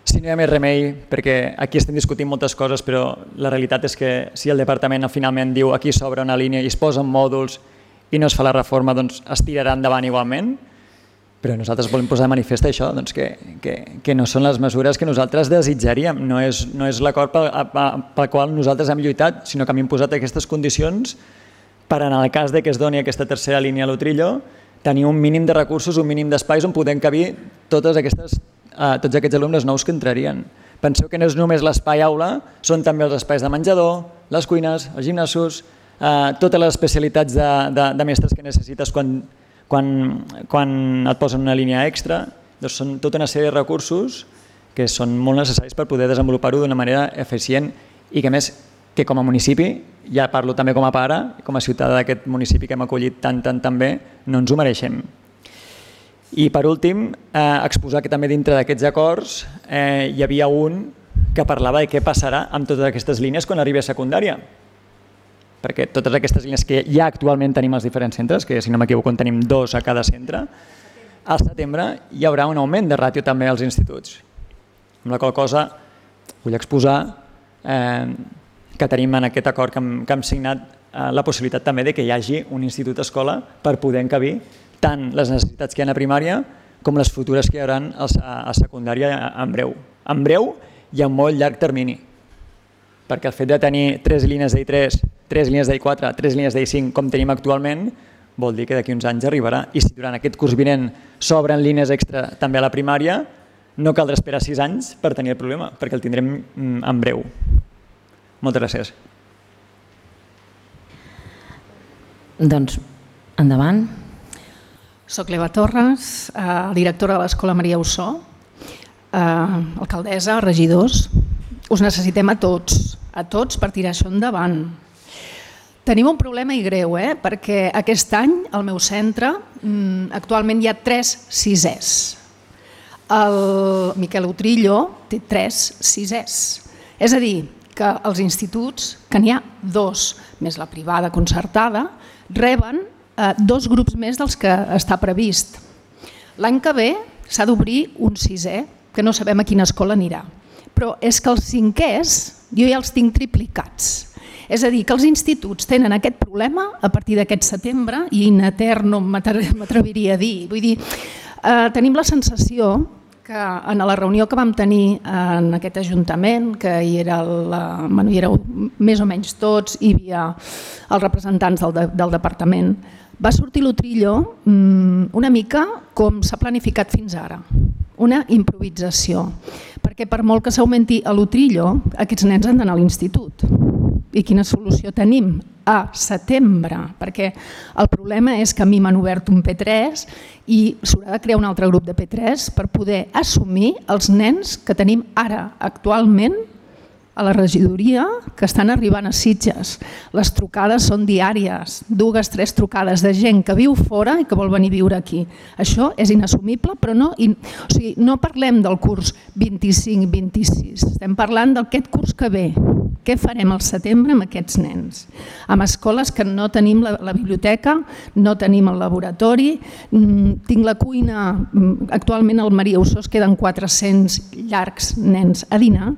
Si no hi ha més remei, perquè aquí estem discutint moltes coses, però la realitat és que si el departament finalment diu aquí s'obre una línia i es posen mòduls i no es fa la reforma, doncs es tirarà endavant igualment. Però nosaltres volem posar de manifest això, que no són les mesures que nosaltres desitjaríem. No és l'acord pel qual nosaltres hem lluitat, sinó que hem imposat aquestes condicions per, en el cas que es doni aquesta tercera línia a l'Utrillo, tenir un mínim de recursos, un mínim d'espais on podem cabir tots aquests alumnes nous que entrarien. Penseu que no és només l'espai aula, són també els espais de menjador, les cuines, els gimnasos, totes les especialitats de mestres que necessites quan et posen una línia extra. Doncs són tota una sèrie de recursos que són molt necessaris per poder desenvolupar-ho d'una manera eficient i que, a més, que com a municipi, ja parlo també com a pare, com a ciutadà d'aquest municipi que hem acollit tan bé, no ens ho mereixem. I per últim, exposar que també dintre d'aquests acords hi havia un que parlava de què passarà amb totes aquestes línies quan arribi a secundària. Perquè totes aquestes línies que ja actualment tenim als diferents centres, que si no m'equivoco en tenim 2 a cada centre, al setembre hi haurà un augment de ràtio també als instituts. Amb la qual cosa vull exposar que tenim en aquest acord que hem signat la possibilitat també de que hi hagi un institut-escola per poder encabir tant les necessitats que hi ha a primària com les futures que hi haurà a secundària en breu. En breu i a molt llarg termini. Perquè el fet de tenir 3 línies d'I3, 3 línies d'I4, 3 línies d'I5 com tenim actualment, vol dir que d'aquí uns anys arribarà. I si durant aquest curs vinent s'obren línies extra també a la primària, no caldrà esperar 6 anys per tenir el problema, perquè el tindrem en breu. Moltes gràcies. Doncs, endavant. Soc l'Eva Torres, directora de l'Escola Maria Ossó, alcaldessa, regidors. Us necessitem a tots per tirar això endavant. Tenim un problema i greu, perquè aquest any al meu centre actualment hi ha 3 sisès. El Miquel Utrillo té 3 sisès. És a dir, que els instituts, que n'hi ha 2, més la privada concertada, reben 2 grups més dels que està previst. L'any que ve s'ha d'obrir un 6è, que no sabem a quina escola anirà. Però és que els 5è jo ja els tinc triplicats. És a dir, que els instituts tenen aquest problema a partir d'aquest setembre i in eterno m'atreviria a dir. Vull dir, tenim la sensació que en la reunió que vam tenir en aquest Ajuntament, que hi éreu més o menys tots, hi havia els representants del departament, va sortir l'Utrillo una mica com s'ha planificat fins ara, una improvisació, perquè per molt que s'augmenti a l'Utrillo, aquests nens han d'anar a l'institut. I quina solució tenim? A setembre, perquè el problema és que a mi m'han obert un P3 i s'haurà de crear un altre grup de P3 per poder assumir els nens que tenim ara, actualment, a la regidoria, que estan arribant a Sitges. Les trucades són diàries, 2 o 3 trucades de gent que viu fora i que vol venir a viure aquí. Això és inassumible, però no parlem del curs 25-26, estem parlant d'aquest curs que ve. Què farem al setembre amb aquests nens? Amb escoles que no tenim la biblioteca, no tenim el laboratori, tinc la cuina, actualment al Maria Ossó es queden 400 llargs nens a dinar,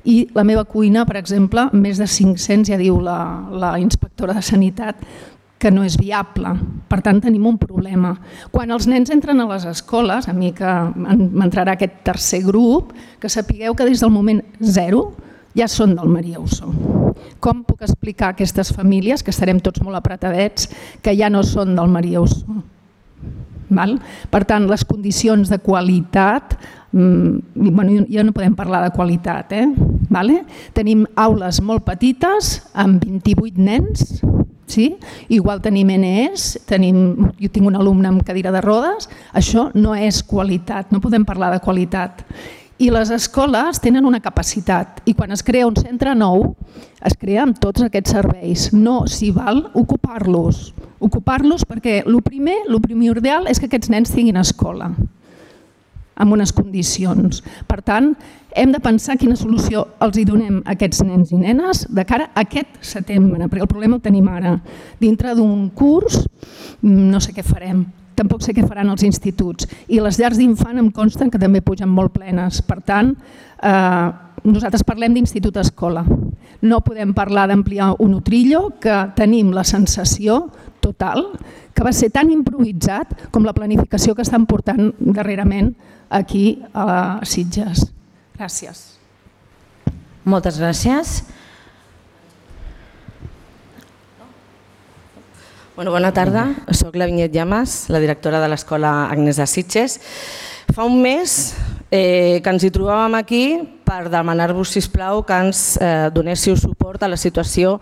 i la meva cuina, per exemple, més de 500, ja diu la inspectora de Sanitat, que no és viable. Per tant, tenim un problema. Quan els nens entren a les escoles, a mi que m'entrarà aquest tercer grup, que sapigueu que des del moment 0 ja són del Maria Ossó. Com puc explicar a aquestes famílies, que estarem tots molt apretadets, que ja no són del Maria Ossó? Per tant, les condicions de qualitat, ja no podem parlar de qualitat, tenim aules molt petites amb 28 nens, igual tenim NEs, jo tinc un alumne amb cadira de rodes, això no és qualitat, no podem parlar de qualitat. I les escoles tenen una capacitat i quan es crea un centre nou es crea amb tots aquests serveis. No s'hi val ocupar-los perquè el primordial és que aquests nens tinguin escola amb unes condicions. Per tant, hem de pensar quina solució els donem a aquests nens i nenes de cara a aquest setembre, perquè el problema el tenim ara. Dintre d'un curs no sé què farem. Tampoc sé què faran els instituts. I les llars d'infant em consten que també pugen molt plenes. Per tant, nosaltres parlem d'institut-escola. No podem parlar d'ampliar un Utrillo, que tenim la sensació total que va ser tan improvisat com la planificació que estan portant darrerament aquí a Sitges. Gràcies. Moltes gràcies. Bona tarda, soc la Vinyet Llamas, la directora de l'Escola Agnès de Sitges. Fa un mes que ens hi trobàvem aquí per demanar-vos, sisplau, que ens donéssiu suport a la situació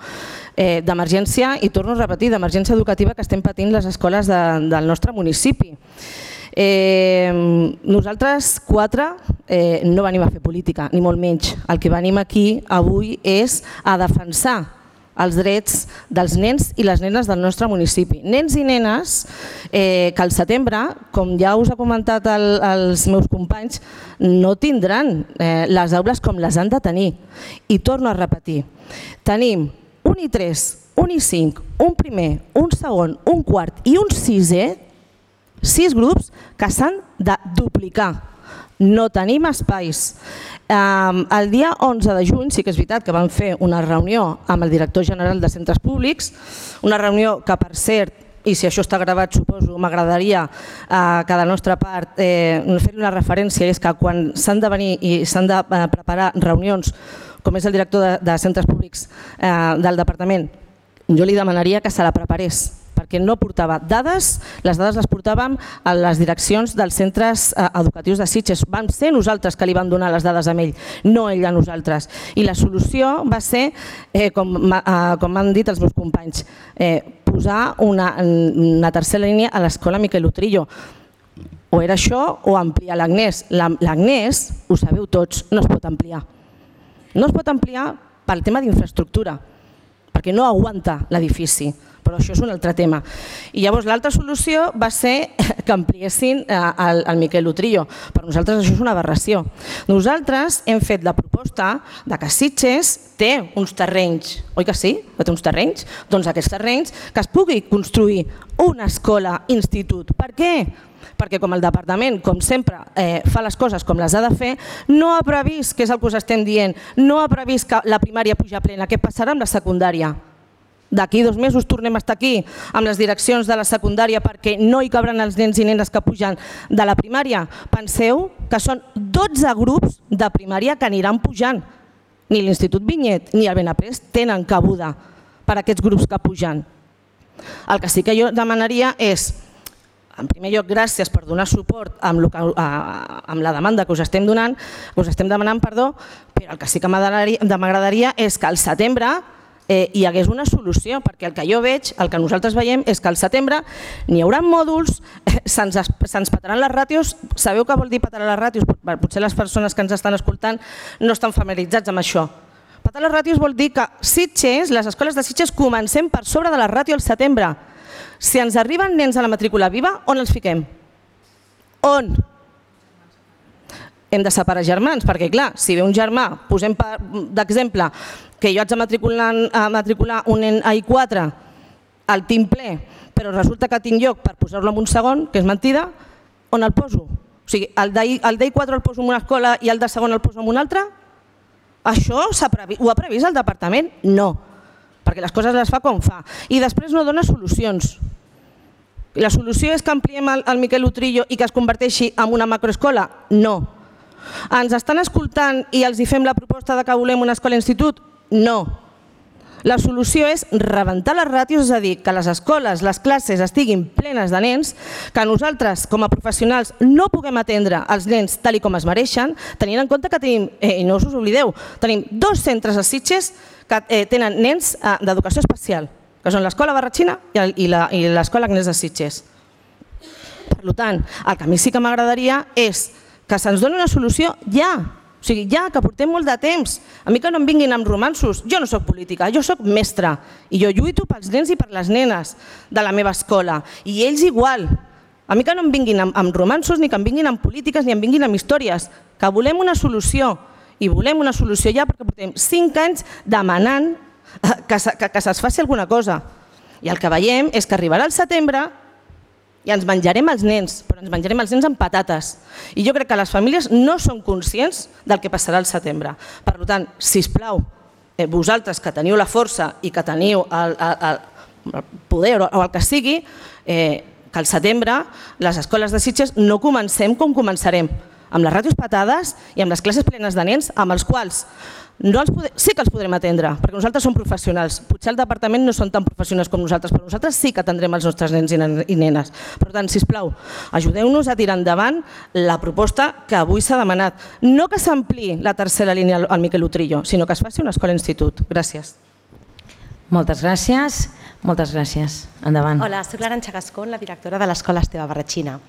d'emergència, i torno a repetir, d'emergència educativa que estem patint les escoles del nostre municipi. Nosaltres 4 no venim a fer política, ni molt menys. El que venim aquí avui és a defensar els drets dels nens i les nenes del nostre municipi. Nens i nenes que al setembre, com ja us ha comentat els meus companys, no tindran les aules com les han de tenir. I torno a repetir, tenim un I3, un I5, un primer, un segon, un quart i un sisè, 6 grups que s'han de duplicar. No tenim espais. El dia 11 de juny sí que és veritat que vam fer una reunió amb el director general de centres públics, una reunió que, per cert, i si això està gravat, suposo, m'agradaria que de nostra part fer una referència, és que quan s'han de venir i s'han de preparar reunions, com és el director de centres públics del departament, jo li demanaria que se la preparés perquè no portava dades, les dades les portàvem a les direccions dels centres educatius de Sitges. Vam ser nosaltres que li vam donar les dades a ell, no ell a nosaltres. I la solució va ser, com m'han dit els meus companys, posar una tercera línia a l'escola Miquel Utrillo. O era això o ampliar l'Agnès. L'Agnès, ho sabeu tots, no es pot ampliar. No es pot ampliar pel tema d'infraestructura, perquè no aguanta l'edifici, però això és un altre tema. I llavors l'altra solució va ser que ampliessin el Miquel Utrillo. Per nosaltres això és una aberració. Nosaltres hem fet la proposta de que Sitges té uns terrenys, oi que sí? Que té uns terrenys? Doncs aquests terrenys que es pugui construir una escola-institut. Per què? Perquè com el departament, com sempre, fa les coses com les ha de fer, no ha previst, que és el que us estem dient, no ha previst que la primària puja plena. Què passarà amb la secundària? D'aquí 2 mesos tornem a estar aquí amb les direccions de la secundària perquè no hi cabran els nens i nenes que pugen de la primària. Penseu que són 12 grups de primària que aniran pujant. Ni l'Institut Vinyet ni el Benaprés tenen cabuda per aquests grups que pugen. El que sí que jo demanaria és, en primer lloc, gràcies per donar suport amb la demanda que us estem demanant, però el que sí que m'agradaria és que al setembre hi hagués una solució, perquè el que jo veig, el que nosaltres veiem, és que al setembre n'hi haurà mòduls, se'ns petaran les ràtios. Sabeu què vol dir petar les ràtios? Potser les persones que ens estan escoltant no estan familiaritzats amb això. Petar les ràtios vol dir que Sitges, les escoles de Sitges, comencem per sobre de la ràtio al setembre. Si ens arriben nens a la matrícula viva, on els fiquem? On? Hem de separar germans, perquè clar, si ve un germà, posem d'exemple, que jo haig de matricular un nen a I4 al team ple, però resulta que tinc lloc per posar-lo en un segon, que és mentida, on el poso? O sigui, el d'I4 el poso en una escola i el de segon el poso en una altra? Això ho ha previst el departament? No, perquè les coses les fa com fa. I després no dona solucions. La solució és que ampliem el Miquel Utrillo i que es converteixi en una macroescola? No. Ens estan escoltant i els fem la proposta de que volem una escola-institut? No. La solució és rebentar les ràtios, és a dir, que les escoles, les classes estiguin plenes de nens, que nosaltres com a professionals no puguem atendre els nens tal com es mereixen, tenint en compte que tenim, i no us oblideu, tenim 2 centres a Sitges que tenen nens d'educació especial, que són l'Escola Barratxina i l'Escola Agnès de Sitges. Per tant, el que a mi sí que m'agradaria és que se'ns doni una solució ja. O sigui, ja, que portem molt de temps. A mi que no em vinguin amb romansos. Jo no soc política, jo soc mestra. I jo lluito pels nens i per les nenes de la meva escola. I ells igual. A mi que no em vinguin amb romansos, ni que em vinguin amb polítiques, ni em vinguin amb històries. Que volem una solució. I volem una solució ja perquè portem 5 anys demanant que se'ls faci alguna cosa. I el que veiem és que arribarà el setembre i ens menjarem els nens, però ens menjarem els nens amb patates. I jo crec que les famílies no són conscients del que passarà al setembre. Per tant, sisplau, vosaltres que teniu la força i que teniu el poder o el que sigui, que al setembre les escoles de Sitges no comencem com començarem, amb les ràtios petades i amb les classes plenes de nens, amb els quals sí que els podrem atendre, perquè nosaltres som professionals. Potser el departament no són tan professionals com nosaltres, però nosaltres sí que atendrem els nostres nens i nenes. Per tant, sisplau, ajudeu-nos a tirar endavant la proposta que avui s'ha demanat. No que s'ampliï la tercera línia al Miquel Utrillo, sinó que es faci una escola-institut. Gràcies. Moltes gràcies. Moltes gràcies. Endavant. Hola, soc l'Arantxa Gascón, la directora de l'Escola Esteve Barratxina.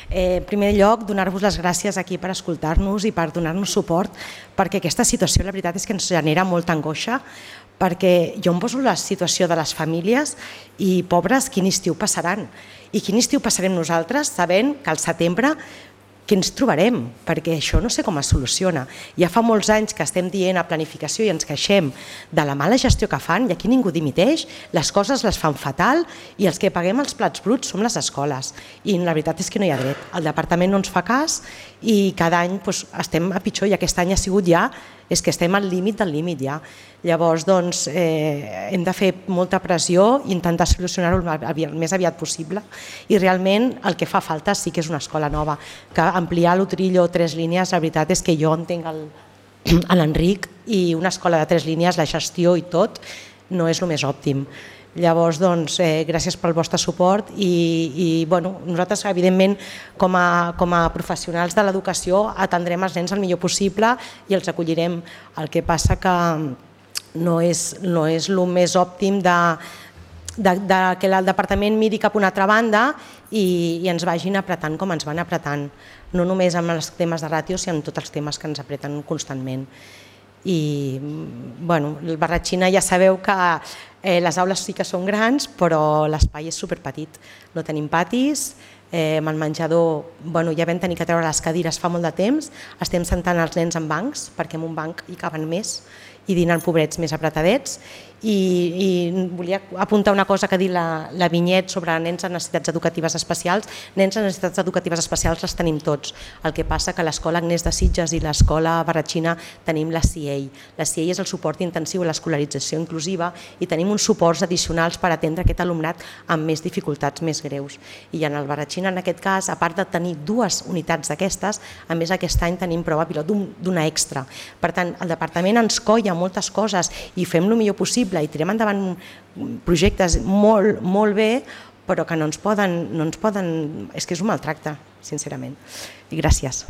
En primer lloc, donar-vos les gràcies aquí per escoltar-nos i per donar-nos suport, perquè aquesta situació, la veritat és que ens genera molta angoixa, perquè jo em poso la situació de les famílies i, pobres, quin estiu passaran. I quin estiu passarem nosaltres sabent que al setembre què ens trobarem? Perquè això no sé com es soluciona. Ja fa molts anys que estem dient a planificació i ens queixem de la mala gestió que fan i aquí ningú dimiteix, les coses les fan fatal i els que paguem els plats bruts som les escoles. I la veritat és que no hi ha dret. El departament no ens fa cas i cada any estem a pitjor i aquest any ha sigut ja, és que estem al límit del límit ja. Llavors, doncs, hem de fer molta pressió i intentar solucionar-ho el més aviat possible i realment el que fa falta sí que és una escola nova, que ampliar l'Utrillo 3 línies, la veritat és que jo entenc l'Enric i una escola de 3 línies, la gestió i tot, no és el més òptim. Llavors, doncs, gràcies pel vostre suport i nosaltres, evidentment, com a professionals de l'educació, atendrem els nens el millor possible i els acollirem. El que passa que no és el més òptim que el departament miri cap a una altra banda i ens vagin apretant com ens van apretant, no només amb els temes de ràtio, sinó amb tots els temes que ens apreten constantment. I el Barratxina ja sabeu que les aules sí que són grans, però l'espai és superpetit. No tenim patis, amb el menjador ja vam tenir que treure les cadires fa molt de temps, estem sentant els nens en bancs, perquè en un banc hi caben més, i dinant pobrets més apretadets. I volia apuntar una cosa que ha dit la Vinyet sobre nens amb necessitats educatives especials. Nens amb necessitats educatives especials les tenim tots. El que passa que l'Escola Agnès de Sitges i l'Escola Barratxina tenim la CIEI. La CIEI és el suport intensiu a l'escolarització inclusiva i tenim uns suports addicionals per atendre aquest alumnat amb més dificultats més greus. I en el Barratxina, en aquest cas, a part de tenir 2 unitats d'aquestes, a més aquest any tenim prova pilot d'una extra. Per tant, el departament ens colla moltes coses i fem el millor possible i tirem endavant projectes molt bé, però que no ens poden... És que és un maltracte, sincerament. I gràcies.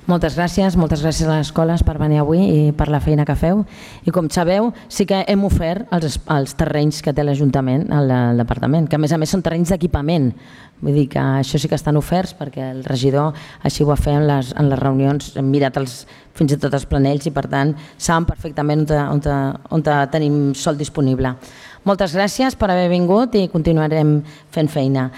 Moltes gràcies a les escoles per venir avui i per la feina que feu. I com sabeu, sí que hem ofert els terrenys que té l'Ajuntament al departament, que a més són terrenys d'equipament. Vull dir que això sí que estan oferts perquè el regidor així ho va fer en les reunions, hem mirat fins i tot els planells i per tant saben perfectament on tenim sòl disponible. Moltes gràcies per haver vingut i continuarem fent feina.